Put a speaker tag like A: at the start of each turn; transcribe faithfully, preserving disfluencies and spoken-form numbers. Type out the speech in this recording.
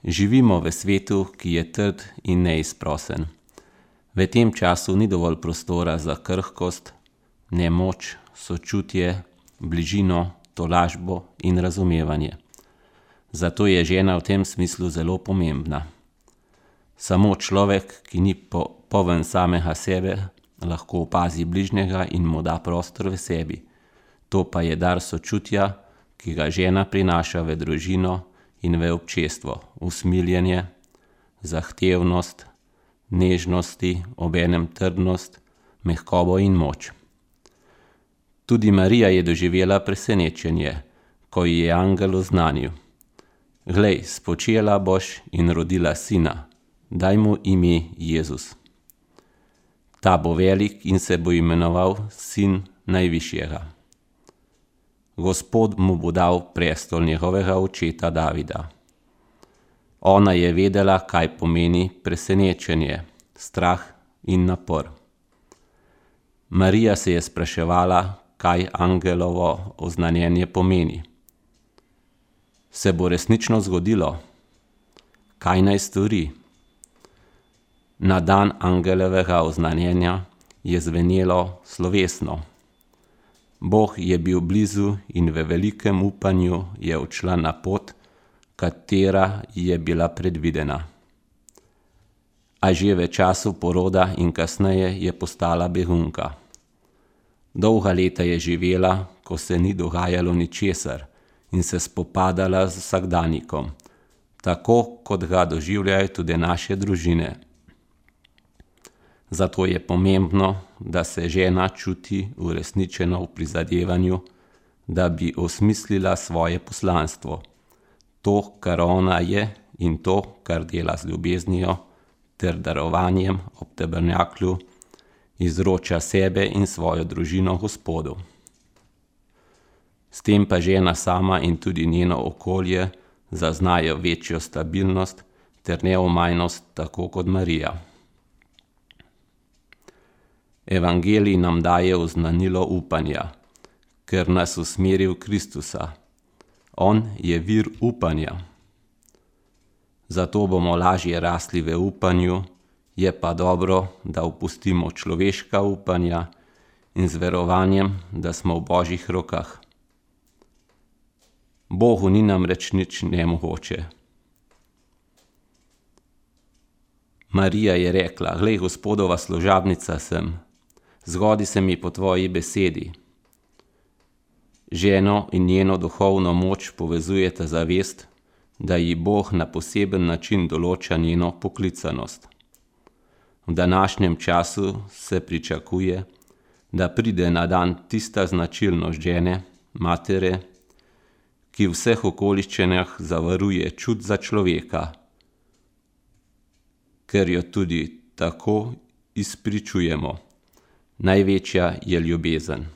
A: Živimo v svetu, ki je trd in neizprosen. V tem času ni dovolj prostora za krhkost, nemoč, sočutje, bližino, tolažbo in razumevanje. Zato je žena v tem smislu zelo pomembna. Samo človek, ki ni po, poln samega sebe, lahko opazi bližnjega in mu da prostor v sebi. To pa je dar sočutja, ki ga žena prinaša v družino in v občestvo, usmiljenje, zahtevnost, nežnosti, obenem trdnost, mehkobo in moč. Tudi Marija je doživela presenečenje, ko ji je angel oznanil: Glej, spočela boš in rodila sina, daj mu ime Jezus. Ta bo velik in se bo imenoval Sin Najvišjega. Gospod mu bo dal prestol njegovega očeta Davida. Ona je vedela, kaj pomeni presenečenje, strah in napor. Marija se je spraševala, kaj angelovo oznanjenje pomeni. Se bo resnično zgodilo? Kaj naj stori? Na dan angelovega oznanjenja je zvenelo slovesno. Bog je bil blizu in v velikem upanju je odšla na pot, katera je bila predvidena. A že v času poroda in kasneje je postala begunka. Dolga leta je živela, ko se ni dogajalo ničesar in se spopadala z vsakdanikom, tako kot ga doživljajo tudi naše družine. Zato je pomembno, da se žena čuti uresničeno v prizadevanju, da bi osmislila svoje poslanstvo, to, kar ona je in to, kar dela z ljubeznijo ter darovanjem ob tabernaklju, izroča sebe in svojo družino Gospodu. S tem pa žena sama in tudi njeno okolje zaznajo večjo stabilnost ter neomajnost, tako kot Marija. Evangelij nam daje oznanilo upanja, ker nas usmeri v Kristusa. On je vir upanja. Zato bomo lažje rasli v upanju, je pa dobro, da opustimo človeška upanja in z verovanjem, da smo v Božjih rokah. Bogu ni namreč nič nemogoče. Marija je rekla: Glej, Gospodova služabnica sem, zgodi se mi po tvoji besedi. Ženo in njeno duhovno moč povezujeta zavest, da ji Bog na poseben način določa njeno poklicanost. V današnjem času se pričakuje, da pride na dan tista značilnost žene, matere, ki v vseh okoliščinah zavaruje čut za človeka, ker jo tudi tako izpričujemo. Največja je ljubezen.